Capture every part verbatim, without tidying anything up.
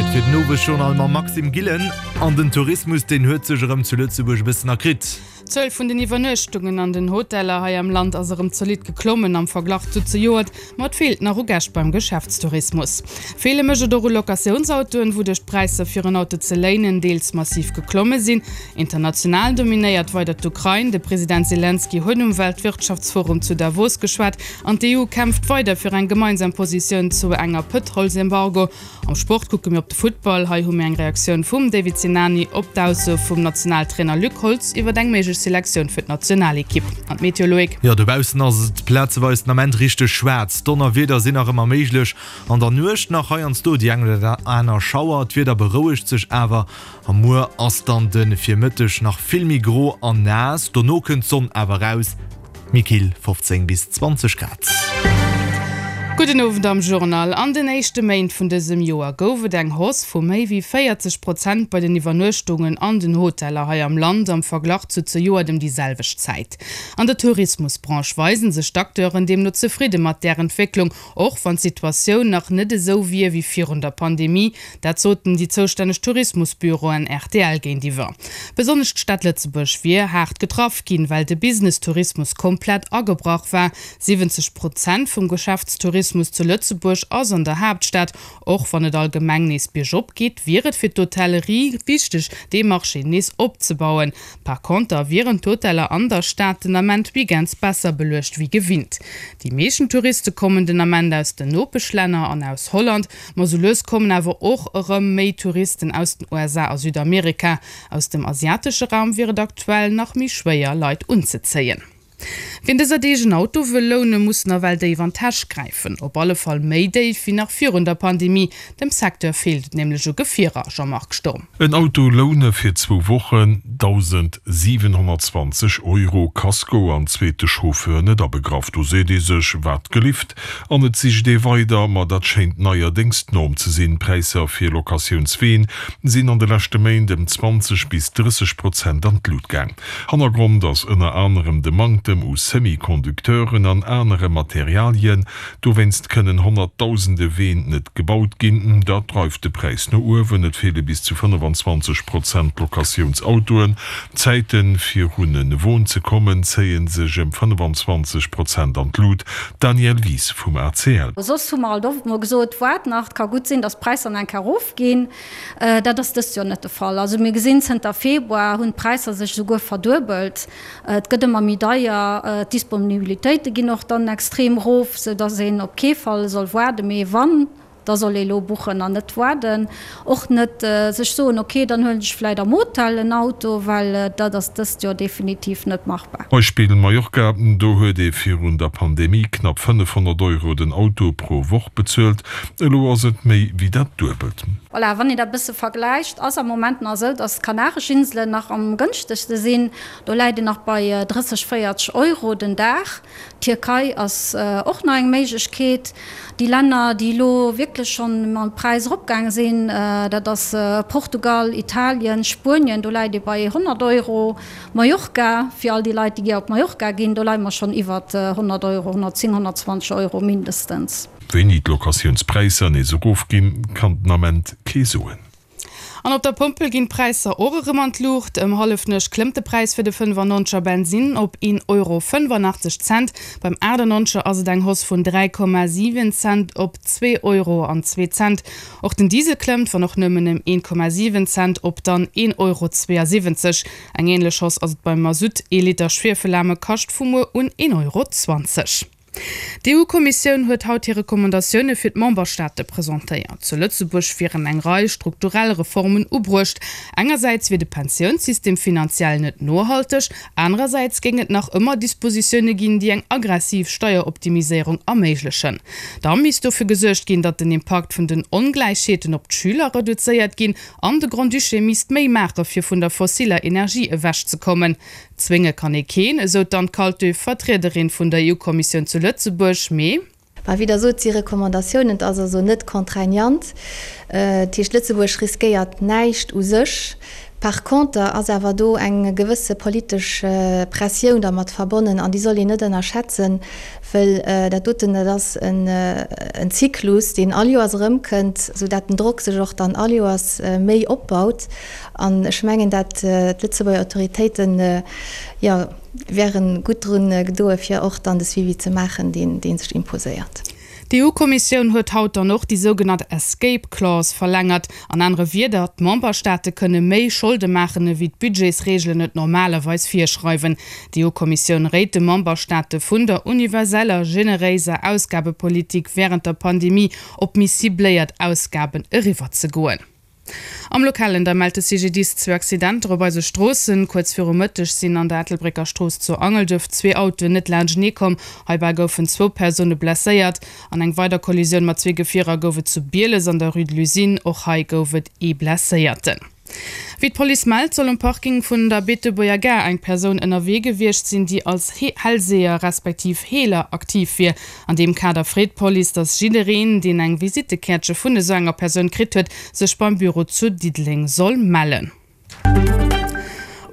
Zäit fir den Owesjournal mam Maxime Gillen. An den Tourismus, deen huet sech erëm zu Lëtzebuerg e bëssen erkritt. D'Zuel vun den Iwwernuechtungen an den Hoteller hei am Land ass erëm zolidd geklommen am Verglach zu zejoert, ma et feelt nach u Gäscht beim Geschäftstourismus. Feele mécht et och u Locatiounsautoen, wouduerch d'Präisser fir en Auto ze léinen deels massiv geklomme sinn. International dominéiert weider d'Ukrain. De President Selenskyj huet um Weltwirtschaftsforum zu Davos geschwat an d'EU kämpft weider fir eng gemeinsam Positioun zu enger Pëtrolsembargo. Am Sport kucke mir op de Futtball. Hei hu mir eng Reaktioun vum David Sinani op d'Ausso vum Nationaltrainer Luc Holtz iwwer eng méiglech Selektioun fir d'Nationalekipp. An d'Meteo, Loïc? Jo, dobaussen ass et plazeweis den Ament richteg schwaarz. Donnerwieder sinn nach ëmmer méiglech. An der Nuecht nach heiansdo déi eng oder aner Schauer. D'Wieder berouegt sech awer a muer ass dann de Virmëtteg nach vill méi gro an naass. Dono kënnt d'Sonn awer raus. Méi kill, fofzéng bis zwanzeg Grad. Gudden Owend am Journal. An den éischte Méint vun dësem Joer gouf et eng Hausse vu méi wéi véierzeg Prozent bei den Iwwernuechtungen an den Hoteller hei am Land am Verglach zu zejoert ëm déi selwecht Zäit. An der Tourismusbranche weisen sech d'Acteuren deemno zefridde mat där Entwécklung, och wann d'Situatioun nach net esou wier wéi virun der Pandemie. Dat soten déi zoustänneg Tourismusbüroen rtl géintiwwer. Besonnesch d'Stad Lëtzebuerg wier haart getraff ginn, well de Business-Tourismus komplett agebrach war. Siwwenzeg Prozent vum Geschäftstourismus zu Lëtzebuerg ass an der Haaptstad. Och wann et allgemeng nees biergop geet, wier et fir d'Hotellerie wichteg, dee Marché nees opzebauen. Par konter wieren d'Hoteller an der Stad den Ament weekends besser beluecht wéi gewinnt. Déi meeschten Touriste kommen den Ament aus den Nopeschlänner an aus Holland, ma sou lues kommen awer och erëm méi Touristen aus den U S A a Südamerika. Aus dem asiatesche Raum wier et aktuell nach méi schwéier, Leit unzezéien. Wien dëser Deeg en Auto wëll lounen, muss nawell déif an d'Täsch gräifen. Op alle Fall méi déif wéi nach virun der Pandemie. Dem Secteur feelt et nämlech u Gefierer, Jean-Marc Sturm. En Auto loune fir zwou Wochen, dausendsiwenhonnertzwanzeg Euro, Kasko an zweete Chauffeur net abegraff. Do seet ee sech, wat gelift? An et sicht ee weider. Ma dat schéint neierdéngs d'Norm ze sinn. D'Präisser fir Locatiounsween sinn an de leschte Méint ëm zwanzeg bis drësseg Prozent an d'Lut gaang. Hannergrond ass ënner anerem de Manktem u Semi-Conducteuren an anere Materialien. Dowéinst kënnen Honnertdausende Ween net gebaut ginn. Dat dreift de Präis no uewen. Et feele bis zu fënnefenzwanzeg Prozent Locatiounsautoen. D'Zäite fir un e Won ze kommen, zéie sech ëm fënnefenzwanzeg Prozent an d'Lut. D'Danièle Wies vum A C L. Soss hu mer alt oft mol gesot, Waart nach, et ka gutt sinn, datt d'Präisser nach eng Kéier erofginn. Dat ass dëst Joer net de Fall. Also mir gesinn, zënter Februar hunn d'Präisser sech esouguer verduebelt. Et gëtt ëmmer méi deier, d'Disponibilitéite ginn och dann extrem erof, sou datt een op kee Fall soll waarden, mee wann, da soll ee lo buchen an net waarden. Och net sech soen, ok, dann huelen ech vläit am Hotel en Auto, well dat ass dëst Joer definitiv net machbar. Beispill Mallorca, do huet ee virun der Pandemie knapp fënnefhonnert Euro den Auto pro Woch bezuelt, elo ass et méi wéi dat Duebelt. Voilà, wann een dat e bësse vergläicht, ass am Moment nach esou, dass d'Kanaresch Inselen nach am gënschtegste sinn. Do läit een nach bei drësseg, véierteg Euro den Dag. D'Tierkei ass och nach eng Méiglechkeet. Déi Länner, déi elo wierklech schonn mam Präis eropgaange sinn, dat ass Portugal, Italien, Spuenien, do läit ee bei honnert Euro. Mallorca, fir all déi Leit, déi gär op Mallorca ginn, do leie mer schonn iwwert honnert Euro, honnertzéng, honnertzwanzeg Euro mindestens. Wéini d'Locatiounspräisser nees erofginn, kann den Ament kee soen. An op der Pompel ginn d'Präisser och erëm an d'Luucht. Ëm hallefnuecht klëmmt de Präis fir de fënnefannonzeger Bensinn op een Euro fënnefanachteg Cent. Beim achtannonzeger ass et eng Hausse vun dräi Komma siwen Cent op zwee Euro an zwee Cent. Och den Diesel klëmmt, wann och nëmmen ëm een Komma siwen Cent op dann een Euro zweeasiwwenzeg. Eng änlech Hausse ass et beim Masutt, ee Liter Schwiefelaarme kascht vu muer un een Euro zwanzeg. D'EU-Kommissioun huet haut hir Recommandatioune fir d'Memberstaate presentéiert. Zu Lëtzebuerg wieren eng Rei strukturell Reformen ubruecht. Engersäits wier de Pensiounssystem finanziell net nohalteg, anerersäits géing et nach ëmmer Dispositioune ginn, déi eng aggressiv Steieroptimiséierung erméiglechen. Da misst dofir gesuergt ginn, datt den Impakt vun den Ongläichheeten op d'Schüler reduzéiert ginn an de Grand-Duché misst méi maache fir vun der fossiller Energie ewechzekommen. Zwénge kann ee keen, esou d'Anne Kaltö, Vertriederin vun der E U-Kommissioun zu Lëtzebuerg, mee. Mä wéi Der sot, si Recommandatiounen, et ass also net contraignant. Dat heescht, Lëtzebuerg riskéiert näischt u sech. Par conter ass awer do eng gewësse politesch Pressioun dermat verbonnen an déi soll een net ënnerschätzen, wëll dat doten, dat ass en Zyklus, deen all Joers erëmkënnt, soudatt den Drock sech och dann all Joers méi opbaut. An ech mengen, dat d'Lëtzebuerger Autoritéiten, jo, wäre gutt drun gedoe fir och dann de Suivi ze maachen, deen dee sech imposéiert. D'EU-Kommissioun huet haut dann och déi sougenannt Escape Clause verlängert. An anere Wierder, d'Memberstaate kënne méi Scholde maachen, ewéi d'Budgetsreegelen et normalerweis virschreiwen. D'EU-Kommissioun réit de Memberstaate vun der universeller, generéiser Ausgabepolitik wärend der Pandemie op méi cibléiert Ausgaben eriwwerzegoen. Am Lokalen da mellt de CGDIS zwee Accidenter op eise Stroossen. Kuerz viru Mëtteg sinn an der Ettelbrécker Strooss zu Angelduerf zwee Autoen net laanschtenee komm. Heibäi goufen zwou Persoune blesséiert. An eng weider Kollisioun mat zwee Gefierer gouf et zu Bieles an der Rue de l'Usine. Och hei gouf et ee Blesséierten. Wéi d'Police mellt, soll um Parking vun der Beetebuerger Gare eng Persoun ënnerwee gewiescht sinn, déi als Hellseher respektiv Heeler aktiv wier. An deem Kader freet d'Police, datt jiddereen, deen eng Visittekäertche vun esou enger Persoun kritt huet, sech beim Büro zu Diddeleng soll mellen.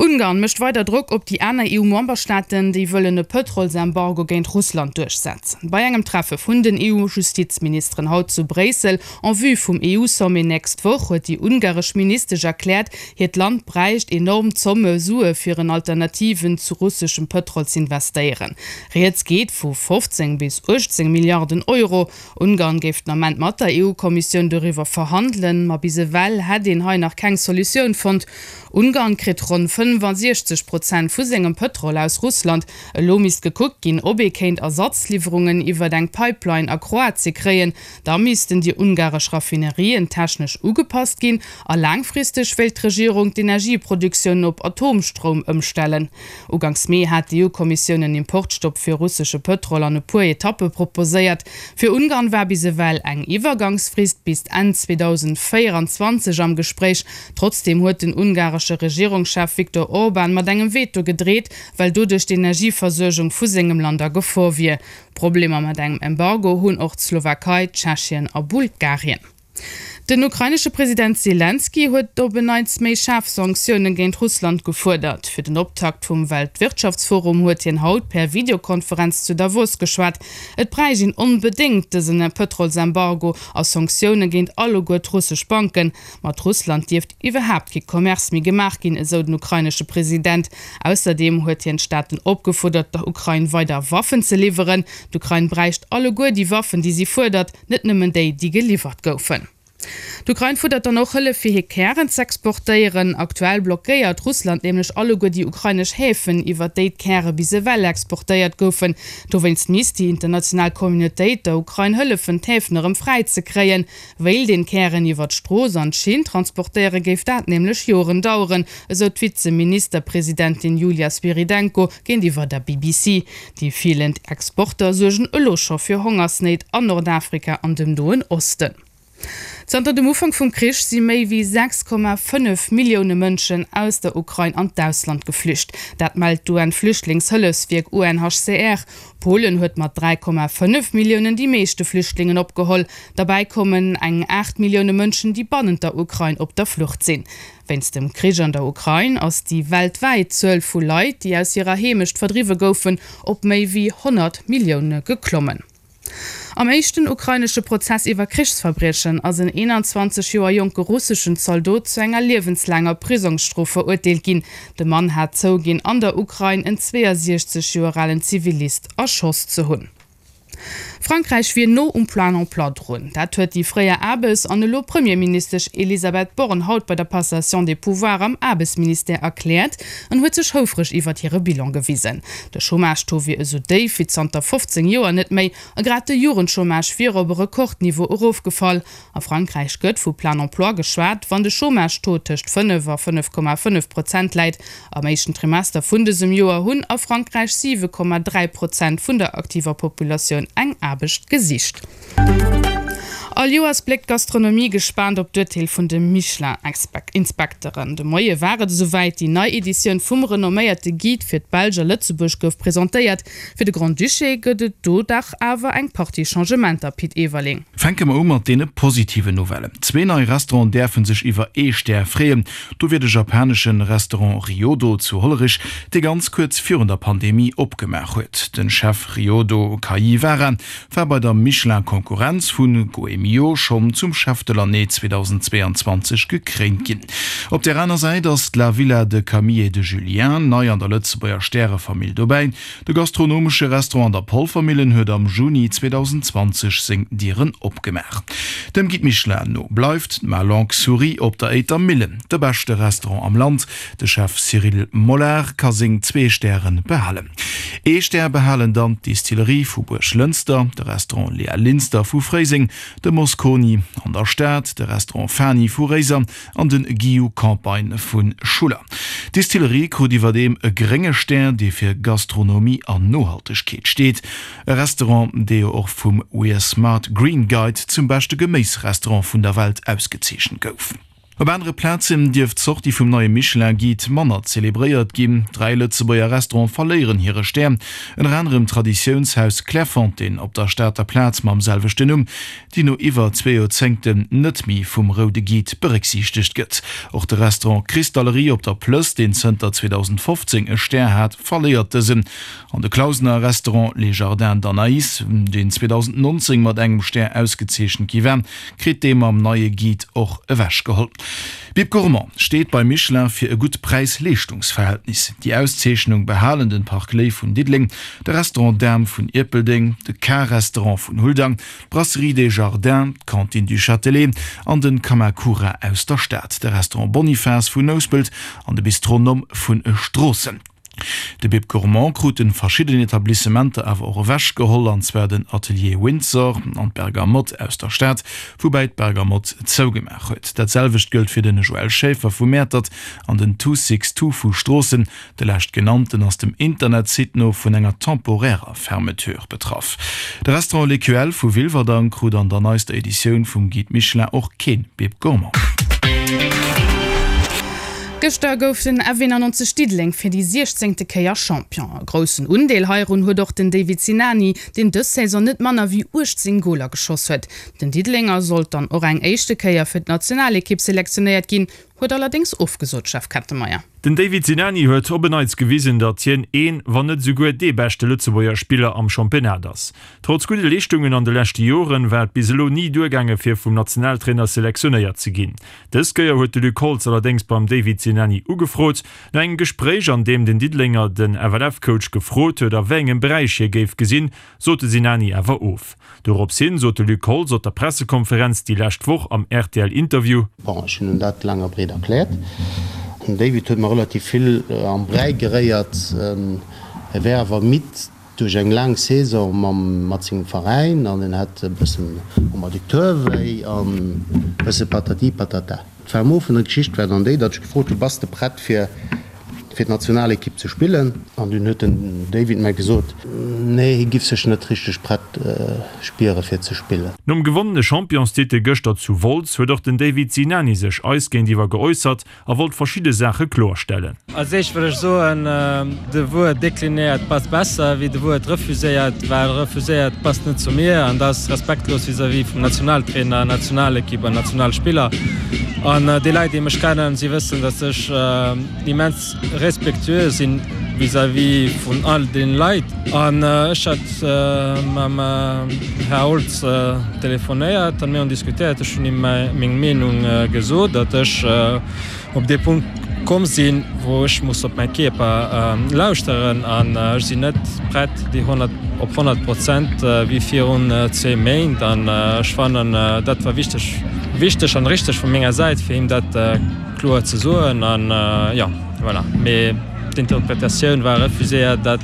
Ungarn mécht weider Drock op déi aner EU-Memberstaaten, déi wëllen e Pëtrolsembargo géint Russland duerchsetzen. Bei engem Treffe vun den EU-Justizministeren haut zu Bréissel en vue vum EU-Sommet nächst Woch huet déi ungaresch Ministesch erkläert, hiert Land bräicht enorm Zomme Sue fir en Alternativen zu russeschem Pëtrol z'investéieren. Rieds geet vu fofzéng bis uechtzéng Milliarden Euro. Ungarn géif den Ament mat der EU-Kommissioun doriwwer verhandelen, ma bis ewell hätt een hei nach keng Solutioun fonnt. Ungarn kritt ronn fënnefasiechzeg Prozent vu sengem Pëtrol aus Russland. Elo misst gekuckt ginn, ob ee kéint Ersatzliwwerungen iwwert eng Pipeline a Kroatie kréien. Da missten déi ungaresch Raffinerien technesch ugepasst ginn. A laangfristeg wéilt d'Regierung d'Energieproduktioun op Atomstroum ëmstellen. Uganks Mee hat d'EU-Kommissioun en Importstopp fir russesche Pëtrol an e puer Etappe proposéiert. Fir Ungarn war bis ewell eng Iwwergangsfrist bis Enn zweedausendvéieranzwanzeg am Gespréich. Trotzdeem huet den ungaresche Regierungschef Viktor Orban mat engem Veto gedreet, well doduerch d'Energieversuergung vu sengem Land a Gefor wier. Problemer mat engem Embargo hunn och d'Slowakei, Tschechien a Bulgarien. Den ukrainesche President Selenskyj huet op en Neits méi schaarf Sanktioune géint Russland gefuerdert. Fir den Optakt vum Weltwirtschaftsforum huet hien haut per Videokonferenz zu Davos geschwat. Et bräicht een onbedéngt dësen Pëtrolsembargo a Sanktioune géint alleguer d'russesch Banken. Mat Russland dierft iwwerhaapt kee Commerce méi gemaach ginn, esou den ukrainesche President. Ausserdeem huet hien d'Staaten opgefuerdert, der Ukrain weider Waffen ze liwweren. D'Ukrain bräicht alleguer déi Waffen, déi si fuerdert, net nëmmen déi, déi geliwwert goufen. D'Ukrain fuerdert dann och Hëllef fir hir Kären z'exportéieren. Aktuell blockéiert Russland nämlech alleguer déi ukrainesch Häfen, iwwer déi d'Käre bis ewell exportéiert goufen. Dowéinst misst déi international Communautéit der Ukrain hëllefen, d'Häfen erëm fräi ze kréien. Wéilt een d'Kären iwwer d'Strooss an d'Schinn transportéieren, géif dat nämlech Joren daueren, esou d'Vizeministerpresidentin Julia Swyrydenko géintiwwer der B B C. Déi feelend Exporter suergen elo scho fir Hongersnéit an Nordafrika an dem Noen Osten. Zanter dem Ufank vum Krich si méi wéi sechs Komma fënnef Millioune Mënschen aus der Ukrain an d'Ausland geflücht. Dat mellt d'UN-Flüchtlingshëllefswierk U N H C R. Polen huet mat dräi Komma fënnef Milliounen déi meeschte Flüchtlingen opgeholl. Derbäi kommen eng aacht Millioune Mënschen, déi bannent der Ukrain op der Flucht sinn. Wéinst dem Krich an der Ukrain ass déi weltwäit Zuel vu Leit, déi aus hirer Heemecht verdriwwe goufen, op méi wéi honnert Millioune geklommen. Am éischten ukrainesche Prozess iwwer Krichsverbriechen ass en eenanzwanzeg Joer jonke russeschen Zaldot zu enger liewenslaanger Prisongsstrof verurteelt ginn. De Mann hat zouginn, an der Ukrain en zweeësiechzeg Joer alen Zivilist erschoss ze hunn. Frankräich wier no um Plein emploi drun. Dat huet déi fréier Aarbes an elo Premierministesch Elisabeth Borne haut bei der Passation des pouvoirs am Aarbechtsministère erkläert an huet sech houfreg iwwert hire Bilan gewisen. De Chômage-Taux wier esou déif wéi zanter fofzéng Joer net méi a grad de Jugendchômage wier op e Rekordniveau erofgefall. A Frankräich gëtt vu Plein emploi geschwat, wann de Chômage-Taux tëscht fënnef a fënnef Komma fënnef Prozent läit. Am éischten Trimester vun dësem Joer hunn a Frankräich siwe Komma dräi Prozent vun der aktiver Populatioun eng Aarbecht gesicht. All Joers bléckt d'Gastronomie gespaant op d'Urteel vun de Michelin-Inspekteren. De Moie war et esouwäit, déi nei Editioun vum renomméierte Guide fir d'Belsch a Lëtzebuerg gouf presentéiert. Fir de Grand-Duché gëtt et do dach awer eng Partie Changementer, Pit Everling. Fänke mer u mat deene positiven Nouvellen. Zwee nei Restauranten däerfe sech iwwer ee Stär freeën. Do wier de japanesche Restaurant Ryodo zu Hollerich, dee ganz kuerz virun der Pandemie opgemaach huet. Den Chef Ryodo Kajiwara war bei der Michelin-Konkurrenz vu Goemio schonn zum Chef de l'année zweedausendzweeanzwanzeg gekréint ginn. Op där aner Säit ass d'La Villa de Camille et de Julien nei an der Lëtzebuerger Stärefamill dobäi. De gastronomesche Restaurant an der Polvermillen huet am Juni zweedausendzwanzeg seng Dieren opgemaach. Dem Guide Michelin no bleift d'Ma Longue Souris op der Éiter Millen de beschte Restaurant am Land. De Chef Cyril Molard ka seng zwee Stäre behalen. Ee Stär behalen dann d'Distillerie vu Buerglënster, de Restaurant Léa Linster vu Fréiseng, de Mosconi an der Stad, de Restaurant Fani vu Réiser an de Guillou Campagne vu Schuller. D'Distillerie krut iwwerdeem e grénge Stär, dee fir Gastronomie an Nohaltegkeet steet. E Restaurant, dee jo och vum We Are Smart Green Guide zum beschte Geméisrestaurant vun der Welt ausgezeechent gouf. Op anere Plazen dierft d'Sortie vum neie Michelin-Guide manner zelebréiert ginn. Dräi Lëtzebuerger Restaurante verléieren hire Stär, ënner anerem d'Traditiounshaus Clairefontaine op der Stater Plaz mam selwechten Numm, déi no iwwer zwee Joerzéngten net méi vum roude Guide berécksiichtegt gëtt. Och de Restaurant Cristallerie op der Plëss, deen zënter zweedausendfofzéng e Stär hat, verléiert dësen. An de Clausener Restaurant Les Jardins d'Anaïs, deen zweedausendnonzéng mat engem Stär ausgezeechent gi war, kritt dee mam neie Guide och ewechgeholl. Bib Gourmand steet bei Michelin fir e gutt Präis-Leeschtungsverhältnis. Déi Auszeechnung behalen den Parc Léi vun Diddeleng, de Restaurant Dahm vun Ierpeldeng, de K-Restaurant vun Huldang, d'Brasserie des Jardins, d'Cantine du Châtelet an de Kamakura aus der Stad, de Restaurant Bonifas vun Nouspelt an de Bistronom vun Stroossen. De Bib Gourmand kruten verschidden Etablissementer awer och ewech geholl, an zwar den Atelier Windsor an d'Bergamotte aus der Stad, woubäi d'Bergamotte zougemaach huet. Dat selwecht gëllt fir den Joël Schaeffer vu Mäertert an den Two Six Two vu Stroossen. De leschtgenannten ass dem Internetsite no vun enger temporärer Fermeture betraff. De Restaurant L'Ecuelle vu Wilwerdang krut an der neister Editioun vum Guide Michelin och keen Bib Gourmand. Gëschter gouf den F eenannonzeg Diddeleng fir déi siechzéngte Kéier Champion. E groussen Undeel heirun huet och den David Sinani, deen dës Saison net manner wéi uechtzéng Goler geschoss huet. Den Diddelenger sollt dann och eng éischte Kéier fir d'Nationalekipp selektionéiert ginn, huet allerdéngs ofgesot, Jeff Kettenmeyer. Den David Sinani huet op en Neits gewisen, datt hien een, wann net esouguer dee beschte Lëtzebuerger Spiller am Championnat ass. Trotz gudde Leeschtungen an de leschte Joren, war et bis elo ni duergaange fir vum Nationaltrainer selektionéiert ze ginn. Dës Kéier huet de Luc Holtz allerdéngs beim David Sinani ugefrot. No engem Gespréich, an deem den Diddelenger den F L F-Coach gefrot huet, a wéi engem Beräich hie géif gesinn, sot de Sinani awer of. Dorops hin sot de Luc Holtz op der Pressekonferenz déi lescht Woch am R T L-Interview. Bon, ech hunn en dat laang a breet erkläert. Den David huet mer relativ vill am Bräi geréiert. E wär awer midd duerch eng laang Saison mam mat sengem Veräin an en hätt e bëssen um Adducteur wéi an e bësse patati patata. D'Fermo vun der Geschicht war dann déi, datt ech gefrot hu, Bass de prett fir fir d'Nationalekipp ze spillen? An dunn huet den David mer gesot, nee, hie giff sech net richteg prett spiere fir ze spillen. Nom gewonnene Championstitel gëschter zu Wolz huet och den David Sinani sech eis géintiwwer geäussert a wollt verschidde Saache kloerstellen. Als éischt wëll ech soen, de Wuert deklinéiert passt besser wéi de Wuert refuséiert, well refuséiert passt net zu mir an dat ass respektlos vis-à-vis vum Nationaltrainer, Nationalekipp an Nationalspiller. An déi Leit, déi mech kennen, si wëssen, datt ech immens respektueux sinn vis-à-vis vun all den Leit. An ech hat mam Här Holtz telefonéiert an mir hunn diskutéiert. Ech hunn him meng Meenung gesot, datt ech op dee Punkt komm sinn, wou ech muss op mäi Kierper lauschteren an ech sinn net prett déi honnert op honnert Prozent wéi virun zwee Méint. An ech fannen, dat war wichteg, wichteg an richteg vu menger Säit, fir him dat kloer ze soen. An jo, voilà. Mee d'Interpretatioun war refuséiert, dat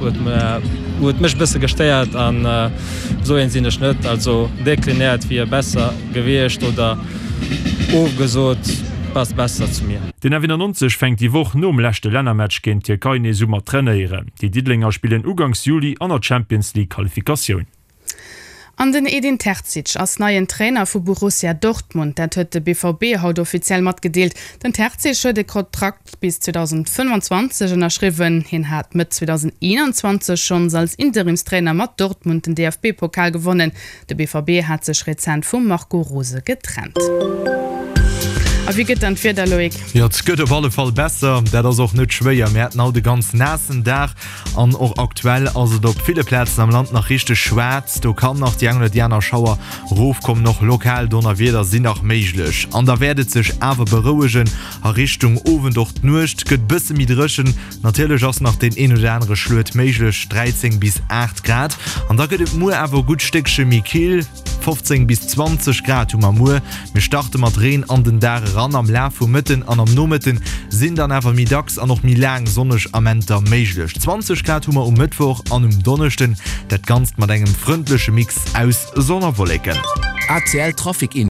huet mer, huet mech e bësse gestéiert an esou een sinn ech net. Also deklinéiert wier besser gewiescht oder ofgesot passt besser zu mir. Den F eenannonzeg fänkt déi Woch nom leschte Lännermatch géint d'Tierkei nees u mat trainéieren. Déi Diddelenger spillen uganks Juli an der Champions League Qualifikatioun. An den Edin Terzic ass neien Trainer vu Borussia Dortmund. Dat huet de B V B haut offiziell matgedeelt. Den Terzic huet e Kontrakt bis zweedausendfënnfanzwanzeg ënnerschriwwen. Hien hat Mëtt zweedausendeenanzwanzeg schonns als Interimstrainer mat Dortmund den D F B-Pokal gewonnen. De B V B hat sech rezent vum Marco Rose getrennt. A wéi gëtt dann d'Wieder, Loïc? Jo, et gëtt op alle Fall besser, dat ass och net schwéier. Mir haten haut e ganz naassen Dag an och aktuell ass et op ville Plazen am Land nach richteg schwaarz. Do kann nach déi eng oder déi aner Schauer rofkommen, och lokal Donnerwieder sinn nach méiglech. An da wäert et sech awer berouegen a Richtung Owend, och d'Nuecht gëtt bësse méi dréchen. Natierlech ass nach deen een oder anere Schluet méiglech, dräizéng bis aacht Grad. An da gëtt et muer awer e gutt Stéckche méi kill. fofzéng bis zwanzeg Grad hu mer muer. Mir starte mat Reen an den Dag eran. Am Laf vum Mëtten an am Nomëtten sinn dann awer méi dacks an och méi laang sonneg Amenter méiglech. zwanzeg Grad hu mer um Mëttwoch an um Donneschden, dat Ganzt mat engem frëndleche Mix aus Sonn a Wolleken. A C L Trafic Info.